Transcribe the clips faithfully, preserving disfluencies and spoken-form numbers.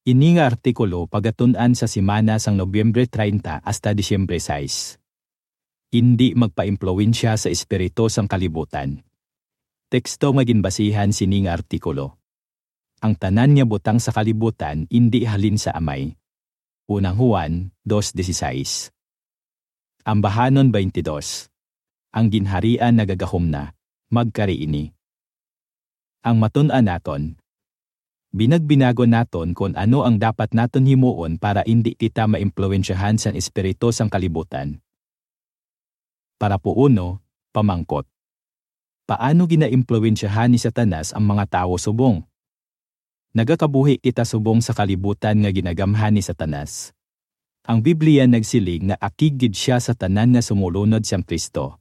Ini nga artikulo pagatun-an sa semana sang Nobyembre treinta hasta Disyembre sais. Indi magpaimpluwensya sa espiritu sang kalibutan. Teksto nga ginbasihan sini nga artikulo. Ang tanan nga butang sa kalibutan indi halin sa Amay. Unang Juan dos dieciséis. Ambahanon twenty-two. Ang Ginharian nagagahom na, magkari ini. Ang matun-an naton. Binagbinagon naton kon ano ang dapat naton himuon para indi kita maimpluwensyahan sang espiritu sang kalibutan. Parapo uno, pamangkot. Paano ginaimpluwensyahan ni Satanas ang mga tawo subong? Nagakabuhi kita subong sa kalibutan nga ginagamhan ni Satanas. Ang Biblia nagsiling nga akig gid sia sa tanan nga sumulunod sang Cristo.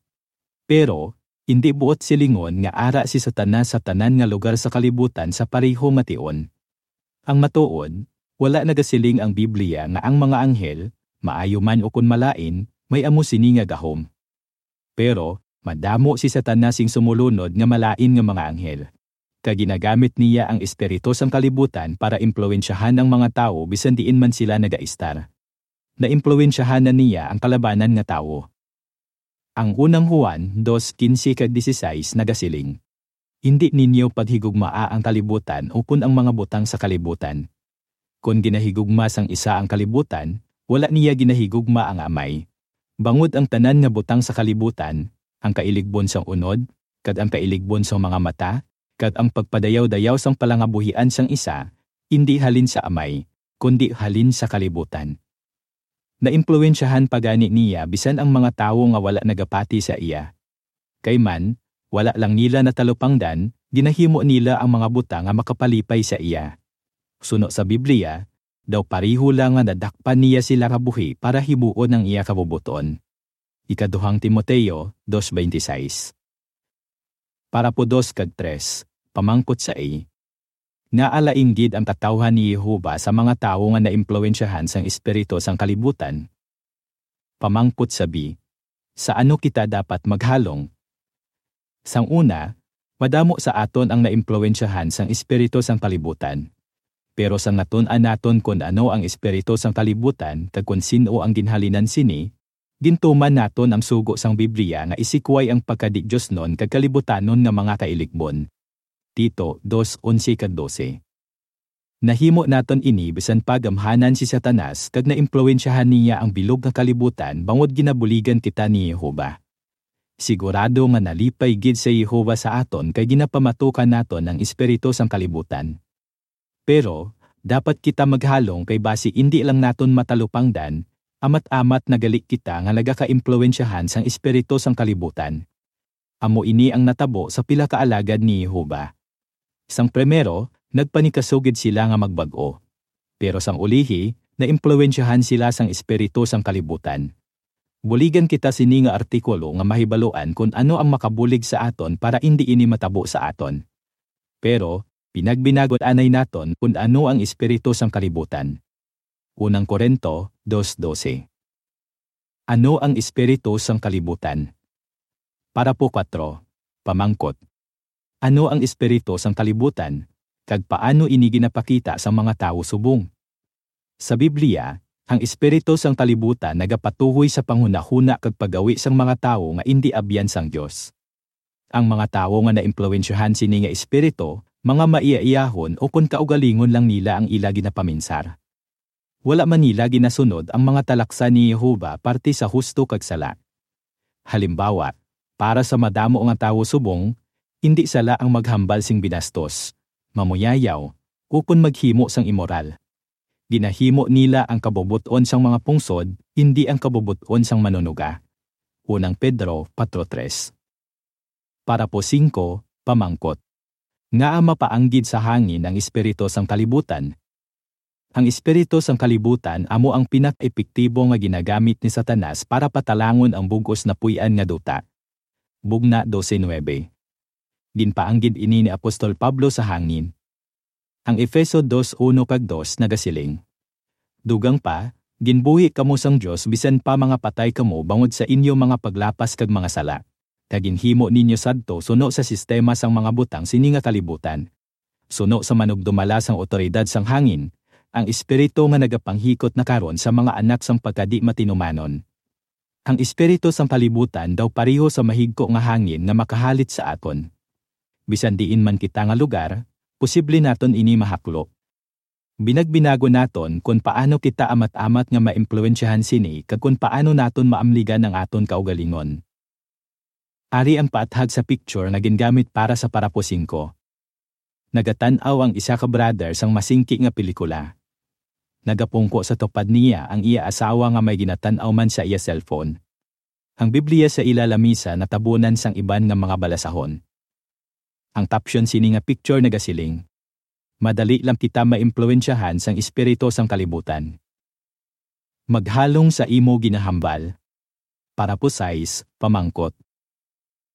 Pero, indi buot silingon nga ara si Satanas sa tanan nga lugar sa kalibutan sa pareho nga tion. Ang matuod, wala nagasiling ang Biblia nga ang mga anghel, maayo man ukon malain, may amo sini nga gahom. Pero, madamo si Satanas sing sumulunod nga malain nga mga anghel. Kag ginagamit niya ang espiritu sang kalibutan para impluwensyahan ang mga tawo bisan diin man sila nagaistar. Naimpluwensyahan na niya ang kalabanan nga tawo. Ang unang Juan dos quince kag dieciséis nagasiling, "Indi ninyo paghigugmaa ang kalibutan ukon ang mga butang sa kalibutan. Kon ginahigugma sang isa ang kalibutan, wala niya ginahigugma ang Amay. Bangod ang tanan nga butang sa kalibutan, ang kailigbon sang unod, kag ang kailigbon sang mga mata, kag ang pagpadayaw-dayaw sang palangabuhian sang isa, indi halin sa Amay, kundi halin sa kalibutan." Naimpluwensyahan pa gani niya bisan ang mga tawo nga wala nagapati sa iya. Kay man, wala lang nila natalupangdan, ginahimo nila ang mga butang nga makapalipay sa iya. Suno sa Biblia, daw pareho lang nga nadakpan niya sila nga buhi para himuon ang iya kabubot-on. Ikaduhang Timoteo dos veintiséis. Parapo dos kag tres, pamangkot sa A. Ngaa lain gid ang katawhan ni Jehovah sa mga tawo nga naimpluwensyahan sang espiritu sang kalibutan? Pamangkot sa B, sa ano kita dapat maghalong? Sang una, madamo sa aton ang naimpluwensyahan sang espiritu sang kalibutan. Pero sang natun-an naton kon ano ang espiritu sang kalibutan kag kon sin-o ang ginhalinan sini, gintuman naton ang sugo sang Biblia nga isikway ang pagkadi-diosnon kag kalibutanon nga mga kailigbon. Tito dos onse kag dose. Nahimo naton ini bisan pa gamhanan si Satanas kag naimpluwensyahan niya ang bilog nga kalibutan bangod ginabuligan kita ni Jehovah. Sigurado nga nalipay gid si Jehovah sa aton kay ginapamatukan naton ang espiritu sang kalibutan. Pero, dapat kita maghalong kay basi indi lang naton matalupangdan, amat-amat na gali kita nga nagakaimpluwensyahan sang espiritu sang kalibutan. Amo ini ang natabo sa pila ka alagad ni Jehovah. Sang primero, nagpanikasugid sila nga magbag-o. Pero sang ulihi, naimpluwensyahan sila sang espiritu sang kalibutan. Buligan kita sini nga artikulo nga mahibaluan kon ano ang makabulig sa aton para indi ini matabo sa aton. Pero, pinagbinagon anay naton kon ano ang espiritu sang kalibutan. Unang Corinto dos doce. Ano ang espiritu sang kalibutan? Parapo kuwatro, pamangkot. Ano ang espiritu sang kalibutan, kag paano ini ginapakita sa mga tawo subong? Sa Biblia, ang espiritu sang kalibutan nagapatuhoy sa panghunahuna kag paggawi sang mga tawo nga indi abyan sang Dios. Ang mga tawo nga naimpluwensyahan sini nga espiritu, mga maiyaiyahon ukon kaugalingon lang nila ang ila ginapaminsar. Wala man nila ginasunod ang mga talaksan ni Jehovah parte sa husto kag sala. Halimbawa, para sa madamo nga tawo subong, indi sala ang maghambal sing binastos, mamuyayaw, ukon maghimo sang imoral. Ginahimo nila ang kabubot-on sang mga pungsod, indi ang kabubot-on sang Manunuga. Unang Pedro patro tres. Parapo singko, pamangkot. Ngaa mapaanggid sa hangin ang espiritu sang kalibutan? Ang espiritu sang kalibutan amo ang pinaka-epektibo nga ginagamit ni Satanas para patalangon ang bug-os napuy-an nga duta. Bugna dose nuebe. Ginpaanggid ini ni Apostol Pablo sa hangin. Ang Efeso dos uno kag dos nagasiling, "Dugang pa, ginbuhi kamo sang Dios bisan pa mga patay kamo bangod sa inyo mga paglapas kag mga sala, kag ginhimo ninyo sadto suno sa sistema sang mga butang sini nga kalibutan, suno sa manugdumala sang awtoridad sang hangin, ang espiritu nga nagapanghikot na karon sa mga anak sang pagkadi-matinumanon. Ang espiritu sang kalibutan daw pareho sa mahigko nga hangin nga makahalit sa aton. Bisan diin man kita nga lugar, posible naton ini mahaklo. Binagbinagon naton kon paano kita amat-amat nga maimpluwensyahan sini kag kon paano naton maamligan ang aton kaugalingon. Ari ang paathag sa picture nga gingamit para sa parapo singko. Nagatan-aw ang isa ka brother sang masingki nga pelikula. Nagapungko sa tupad niya ang iya asawa nga may ginatan-aw man sa iya cellphone. Ang Biblia sa ila lamisa natabunan sang iban nga mga balasahon. Ang caption sini nga picture nagasiling, "Madali lang kita maimpluwensyahan sang espiritu sang kalibutan." Maghalong sa imo ginahambal. Parapo sais, pamangkot.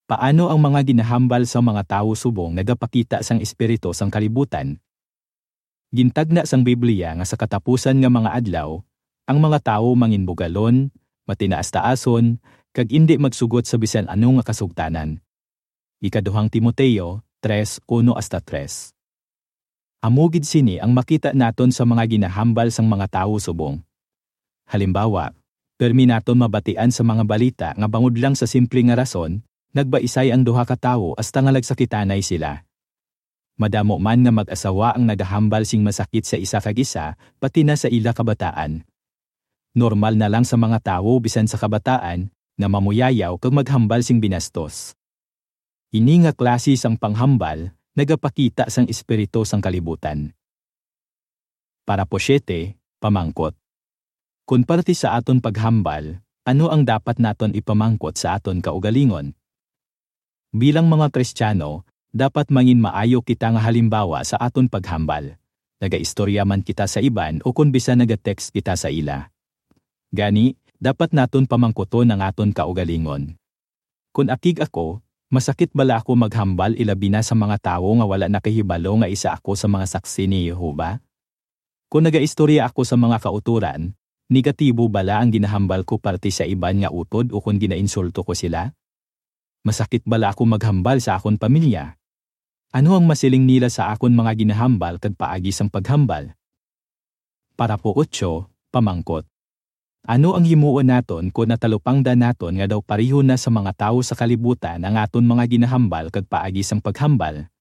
Paano ang mga ginahambal sang mga tawo subong nagapakita sang espiritu sang kalibutan? Gintagna sang Biblia nga sa katapusan nga mga adlaw, ang mga tawo manginbugalon, matinaas-taason, kag indi magsugot sa bisan ano nga kasugtanan. Ikaduhang Timoteo tres, uno hasta tres. Amo gid sini ang makita naton sa mga ginahambal sang mga tawo subong. Halimbawa, pirmi naton mabatian sa mga balita nga bangod lang sa simple nga rason, nagbaisay ang duha ka tawo hasta nga nagsakitanay sila. Madamo man nga mag-asawa ang nagahambal sing masakit sa isa kag isa, pati na sa ila kabataan. Normal na lang sa mga tawo, bisan sa kabataan, nga mamuyayaw kag maghambal sing binastos. Ini nga klase sang panghambal nagapakita sang espiritu sang kalibutan. Parapo siete, pamangkot. Kon parte sa aton paghambal, ano ang dapat naton ipamangkot sa aton kaugalingon? Bilang mga Kristiyano, dapat manginmaayo kita nga halimbawa sa aton paghambal. Nagaistorya man kita sa iban o kon bisan naga-text kita sa ila. Gani, dapat naton pamangkuton ang aton kaugalingon. Kon akig ako, masakit bala ako maghambal ilabi na sa mga tawo nga wala nakahibalo nga isa ako sa mga Saksi ni Jehovah? Kon nagaistorya ako sa mga kautoran, negatibo bala ang ginahambal ko parte sa iban nga utod ukon ginainsulto ko sila? Masakit bala ako maghambal sa akon pamilya? Ano ang masiling nila sa akon mga ginahambal kag paagi sang paghambal? Parapo otso, pamangkot. Ano ang himuon naton kon natalupangdan naton nga daw pareho na sa mga tawo sa kalibutan ang aton mga ginahambal kag paagi sang paghambal?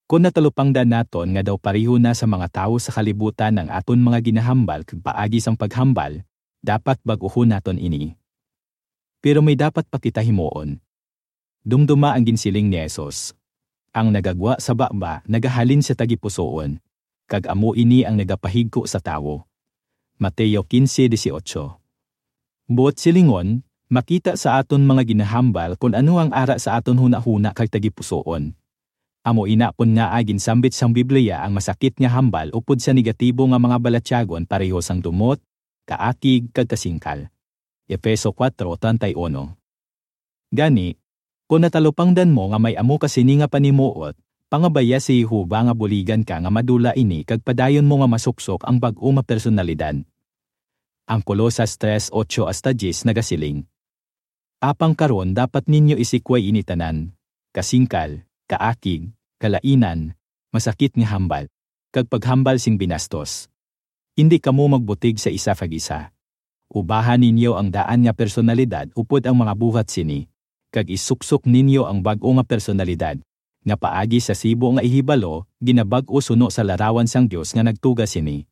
Kon natalupangdan naton nga daw pareho na sa mga tawo sa kalibutan ang aton mga ginahambal kag paagi sang paghambal, dapat bag-uhon naton ini. Pero may dapat pa kita himuon. Dumduma ang ginsiling ni Jesus, "Ang nagagwa sa baba nagahalin sa tagipusoon, kag amo ini ang nagapahigko sa tawo." Mateo quince dieciocho. Buot silingon, makita sa aton mga ginahambal kon ano ang ara sa aton hunahuna kag tagipusoon. Amo ina kon ngaa ginsambit sang Biblia ang masakit nga hambal upod sa negatibo nga mga balatyagon pareho sang dumot, kaakig, kag kasingkal. Efeso kuwatro treinta y uno. Gani, kon natalupangdan mo nga may amo ka sini nga panimuot, pangabaya si Jehovah nga buligan ka nga madula ini kag padayon mo nga masuksok ang bag-o nga personalidad. Ang Colosas tres, ocho hasta diyes nagasiling, "Apang karon dapat ninyo isikway ini tanan: kasingkal, kaakig, kalainan, masakit nga hambal, kag paghambal sing binastos. Indi kamo magbutig sa isa kag isa. Ubahan ninyo ang daan nga personalidad upod ang mga buhat sini, kag isuksok ninyo ang bag-o nga personalidad, nga paagi sa sibo nga ihibalo, ginabag-o suno sa larawan sang Dios nga nagtuga sini."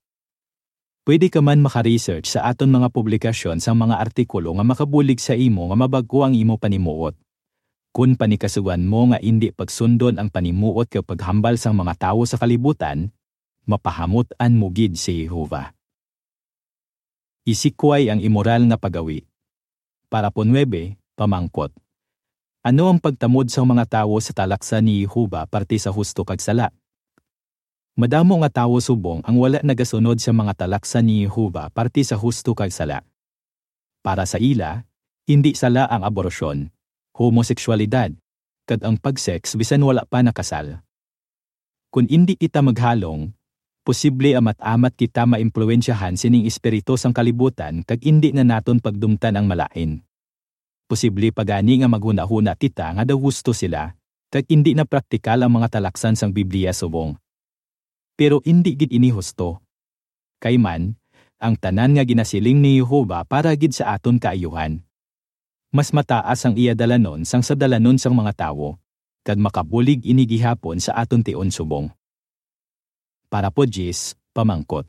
Pwede ka man maka-research sa aton mga publikasyon sang mga artikulo nga makabulig sa imo nga mabag-o ang imo panimuot. Kon panikasugan mo nga indi pagsundon ang panimuot kag paghambal sang mga tawo sa kalibutan, mapahamut-an mo gid si Jehovah. Isikway ang imoral nga paggawi. Parapo nuebe, pamangkot. Ano ang pagtamod sang mga tawo sa talaksan ni Jehovah parte sa husto kag sala? Madamo nga tawo subong ang wala nagasunod sa mga talaksan ni Jehovah parte sa husto kag sala. Para sa ila, indi sala ang aborasyon, homoseksyalidad, kag ang pag-sex bisan wala pa nakasal. Kon indi kita maghalong, posible amat-amat kita maimpluwensyahan sining espiritu sang kalibutan kag indi na naton pagdumtan ang malain. Posible pa gani nga maghunahuna kita nga daw husto sila, kag indi na praktikal ang mga talaksan sang Biblia subong. Pero indi gid ini husto. kay man, ang tanan nga ginasiling ni Jehovah para gid sa aton kaayuhan. Mas mataas ang iya dalanon sang sa dalanon sang mga tawo, kag makabulig ini gihapon sa aton tion subong. Parapo diyes, pamangkot.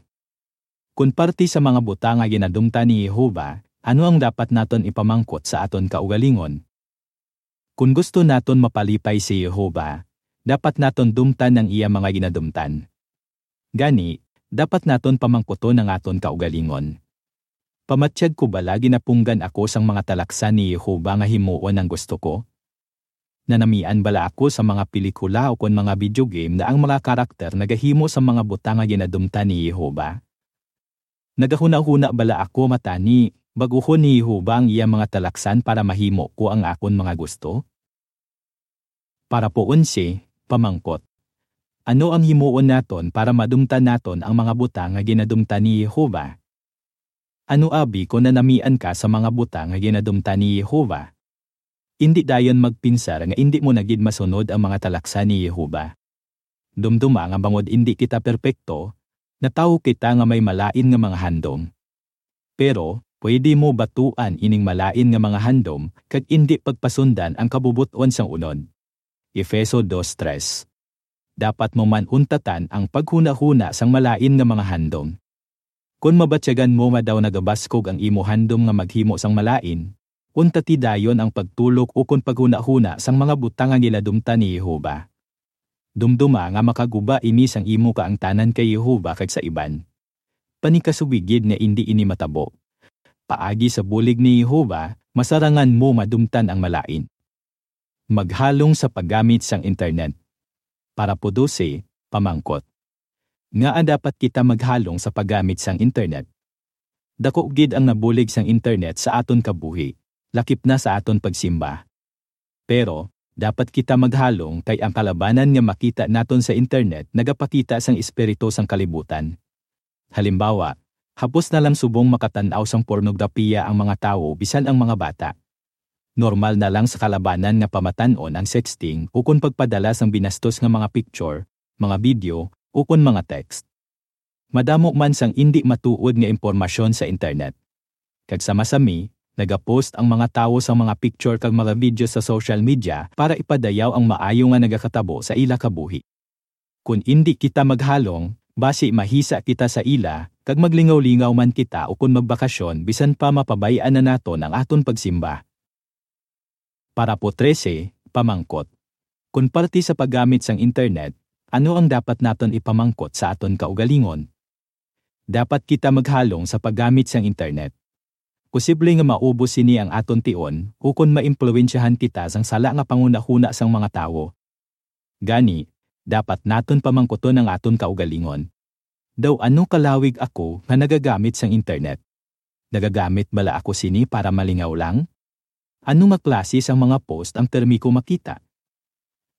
Kon parte sa mga butang nga ginadumtan ni Jehovah, ano ang dapat naton ipamangkot sa aton kaugalingon? Kon gusto naton mapalipay si Jehovah, dapat naton dumtan ang iya mga ginadumtan. Gani, dapat naton pamangkuton ang aton kaugalingon. Pamatyag ko bala ginapunggan ako sang mga talaksan ni Jehovah nga himuon ang gusto ko? Nanamian bala ako sa mga pelikula ukon mga video game nga ang mga karakter nagahimo sa mga butang nga ginadumtan ni Jehovah? Nagahunahuna bala ako matani, bag-uhon ni Jehovah ang iya mga talaksan para mahimo ko ang akon mga gusto? Parapo onse, pamangkot. Ano ang himuon naton para madumtan naton ang mga butang nga ginadumtan ni Jehovah? Ano abi kon nanamian ka sa mga butang nga ginadumtan ni Jehovah? Indi dayon magpinsar nga indi mo na gid masunod ang mga talaksan ni Jehovah. Dumduma nga bangod indi kita perpekto, natawo kita nga may malain nga mga handom. Pero, pwede mo batuan ining malain nga mga handom kag indi pagpasundan ang kabubot-on sang unod. Efeso dos tres. Dapat mo man untatan ang paghunahuna sang malain nga mga handom. Kon mabatyagan mo nga daw nagabaskog ang imo handom nga maghimo sang malain, untati dayon ang pagtulok ukon paghunahuna sang mga butang nga ginadumtan ni Jehovah. Dumduma nga makaguba ini sang imo kaangtanan kay Jehovah kag sa iban. Panikasugi gid nga indi ini matabo. Paagi sa bulig ni Jehovah, masarangan mo madumtan ang malain. Maghalong sa paggamit sang internet. Parapo dose, pamangkot. Ngaa dapat kita maghalong sa paggamit sang internet? Dako gid ang nabulig sang internet sa aton kabuhi, lakip na sa aton pagsimba. Pero, dapat kita maghalong kay ang kalabanan nga makita naton sa internet nagapakita sang espiritu sang kalibutan. Halimbawa, hapos na lang subong makatan-aw sang pornograpiya ang mga tawo, bisan ang mga bata. Normal na lang sa kalabanan nga pamatan-on ang sexting ukon pagpadala sang binastos nga mga picture, mga video, ukon mga text. Madamo man sang indi matuod nga impormasyon sa internet. Kag sama sami, nagapost ang mga tawo sang mga picture kag mga video sa social media para ipadayaw ang maayo nga nagakatabo sa ila kabuhi. Kon indi kita maghalong, basi mahisa kita sa ila, kag maglingaw-lingaw man kita ukon magbakasyon bisan pa mapabay-an na naton ang aton pagsimba. Parapo trese, pamangkot. Kon parte sa paggamit sang internet, ano ang dapat naton ipamangkot sa aton kaugalingon? Dapat kita maghalong sa paggamit sang internet. Posible nga maubos sini ang aton tion ukon maimpluwensyahan kita sang sala nga panghunahuna sang mga tawo. Gani, dapat naton pamangkuton ang aton kaugalingon. Daw ano kalawig ako nga nagagamit sang internet? Nagagamit bala ako sini para malingaw lang? Ano nga klase sang mga post ang permi ko makita?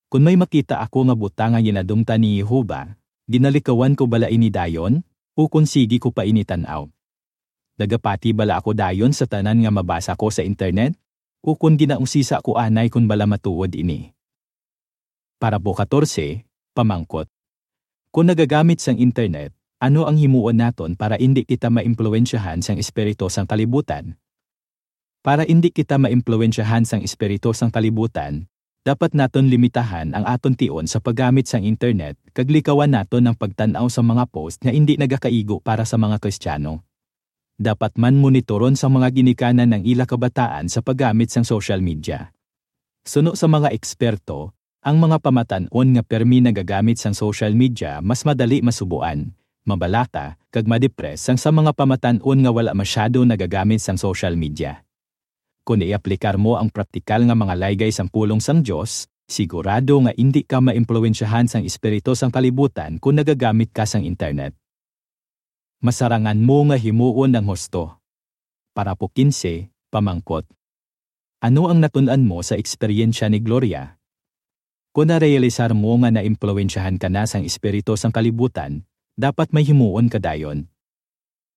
Kon may makita ako nga butang nga ginadumtan ni Jehovah, ginalikawan ko bala ini dayon, ukon sige ko pa ini tan-aw? Nagapati bala ako dayon sa tanan nga mabasa ko sa internet, ukon ginausisa ko anay kon bala matuod ini? Parapo katorse, pamangkot. Kon nagagamit sang internet, ano ang himuon naton para indi kita maimpluwensyahan sang espiritu sang kalibutan? Para indi kita maimpluwensyahan sang espiritu sang kalibutan, dapat naton limitahan ang aton tion sa paggamit sang internet kag likawan naton ang pagtan-aw sa mga post nga indi nagakaigo para sa mga Kristiyano. Dapat man monitoron sang mga ginikanan ang ila kabataan sa paggamit sang social media. Suno sa mga eksperto, ang mga pamatan-on nga permi nagagamit sang social media mas madali masubuan, mabalaka, kag madepres sang sa mga pamatan-on nga wala masyado nagagamit sang social media. Kon iaplikar mo ang praktikal nga mga laygay sang pulong sang Dios, sigurado nga indi ka maimpluwensyahan sang espiritu sang kalibutan kon nagagamit ka sang internet. Masarangan mo nga himuon ang husto. Parapo kinse, pamangkot. Ano ang natun-an mo sa eksperyensya ni Gloria? Kon narealisar mo nga naimpluwensyahan ka na sang espiritu sang kalibutan, dapat may himuon ka dayon.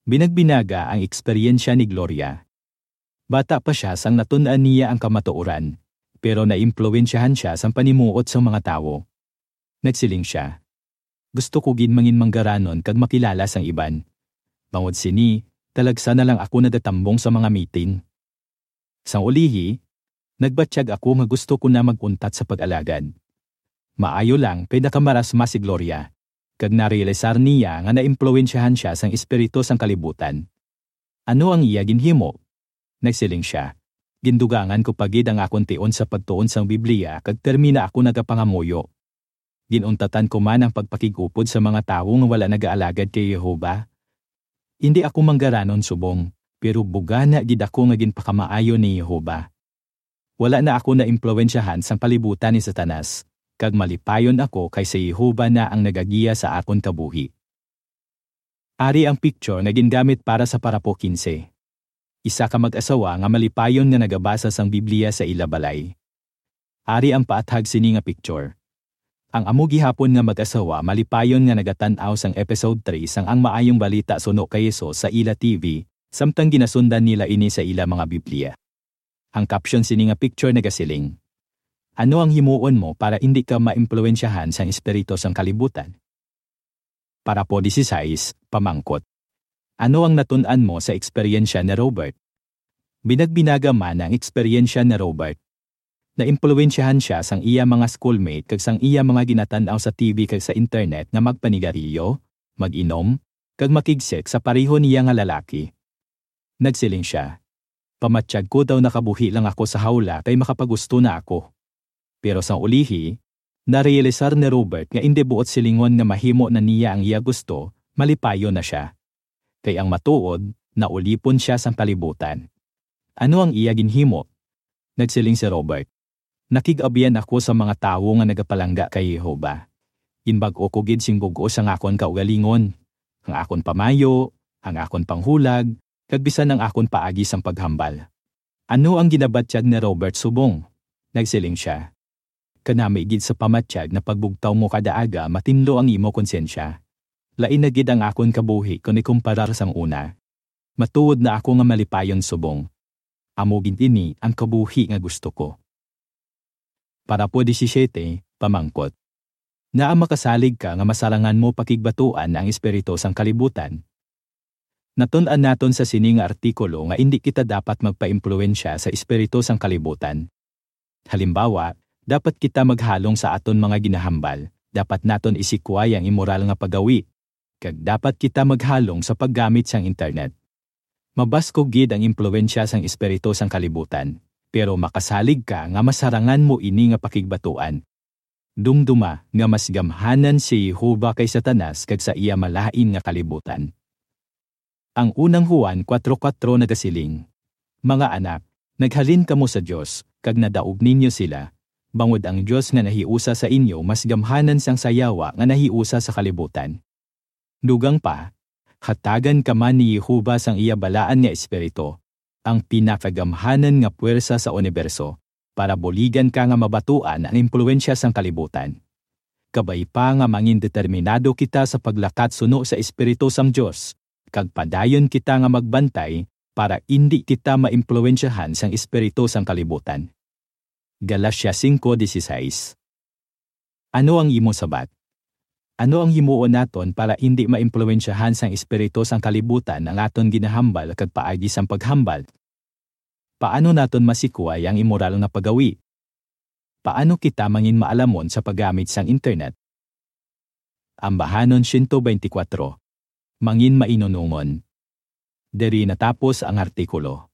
Binagbinaga ang eksperyensya ni Gloria. Bata pa sia sang natun-an niya ang kamatuoran, pero naimpluwensyahan sia sang panimuot sang mga tawo. Nagsiling sia, "Gusto ko gid mangin manggaranon kag makilala sang iban. Bangod sini, talagsa na lang ako nagatambong sa mga meeting. Sang ulihi, nagbatyag ako nga gusto ko na mag-untat sa pag-alagad. Maayo lang kay nakamarasma si Gloria, kag narealisar niya nga naimpluwensyahan sia sang espiritu sang kalibutan. Ano ang iya ginhimo? Nagsiling sia, "Gindugangan ko pa gid ang akon tion sa pagtuon sang Biblia kag pirmi na ako nagapangamuyo. Ginuntatan ko man ang pagpakig-upod sa mga tawo nga wala nagaalagad kay Jehovah. Indi ako manggaranon subong, pero bugana gid ako nga ginpakamaayo ni Jehovah. Wala na ako naimpluwensyahan sang kalibutan ni Satanas, kag malipayon ako kay si Jehovah na ang nagagiya sa akon kabuhi." Ari ang picture nga gingamit para sa parapo quince. Isa ka mag-asawa nga malipayon nga nagabasa sang Biblia sa ila balay. Ari ang paathag sini nga picture. Ang amo gihapon nga mag-asawa malipayon nga nagatan-aw sang episode three sang Ang Maayong Balita suno kay Jesus sa ila T V, samtang ginasundan nila ini sa ila mga Biblia. Ang caption sini nga picture nagasiling, "Ano ang himuon mo para indi ka maimpluwensyahan sang espiritu sang kalibutan?" Parapo dieciséis, pamangkot, "Ano ang natun-an mo sa eksperyensya ni Robert?" Binagbinaga man ang eksperyensya ni Robert. Naimpluwensyahan sia sang iya mga schoolmate kag sang iya mga ginatan-aw sa T V kag sa internet nga magpanigarilyo, mag-inom, kag makig-sex sa pareho niya nga lalaki. Nagsiling sia, "Pamatyag ko daw nakabuhi lang ako sa hawla kay makapagusto na ako." Pero sang ulihi, narealisar ni Robert nga indi buot silingon nga mahimo na niya ang iya gusto, malipayon na sia. Kay ang matuod, naulipon sia sang kalibutan. Ano ang iya ginhimo? Nagsiling si Robert, "Nakig-abyan ako sa mga tawo nga nagapalangga kay Jehovah. Ginbag-o ko gid sing bug-os ang akon kaugalingon, ang akon pamayo, ang akon panghulag, kag bisan ang akon paagi sang paghambal." Ano ang ginabatyag ni Robert subong? Nagsiling sia, "Kanami gid sa pamatyag na pagbugtaw mo kada aga matinlo ang imo konsyensya. Lain na gid ang akon kabuhi kon ikumparar sang una. Matuod na ako nga malipayon subong. Amo gid ini ang kabuhi nga gusto ko." Parapo diecisiete, pamangkot, "Ngaa makasalig ka nga masarangan mo pakigbatuan ang espiritu sang kalibutan?" Natun-an naton sa sini nga artikulo nga indi kita dapat magpaimpluwensya sa espiritu sang kalibutan. Halimbawa, dapat kita maghalong sa aton mga ginahambal, dapat naton isikway ang immoral nga paggawi, kag dapat kita maghalong sa paggamit sang internet. Mabaskog gid ang impluwensya sang espiritu sang kalibutan, pero makasalig ka nga masarangan mo ini nga pakigbatuan. Dumduma nga mas gamhanan si Jehovah kay Satanas kag sa iya malain nga kalibutan. Ang unang Juan kuwatro kuwatro nagasiling, "Mga anak, naghalin kamo sa Dios, kag nadaog ninyo sila, bangod ang Dios nga nahiusa sa inyo mas gamhanan sang sayawa nga nahiusa sa kalibutan." Dugang pa, hatagan ka man ni Jehovah sang iya balaan nga Espiritu, ang pinakagamhanan nga puwersa sa uniberso, para buligan ka nga mabatuan ang impluwensya sang kalibutan. Kabay pa nga mangin determinado kita sa paglakat suno sa Espiritu sang Dios, kag padayon kita nga magbantay para indi kita maimpluwensyahan sang espiritu sang kalibutan. Galacia cinco dieciséis. Ano ang imo sabat? Ano ang himuon naton para indi maimpluwensyahan sang espiritu sang kalibutan ang aton ginahambal kag paagi sang paghambal? Paano naton masikway ang immoral nga paggawi? Paano kita mangin maalamon sa paggamit sang internet? Ambahanon siyento beintikwatro. Mangin mainunongon. Diri natapos ang artikulo.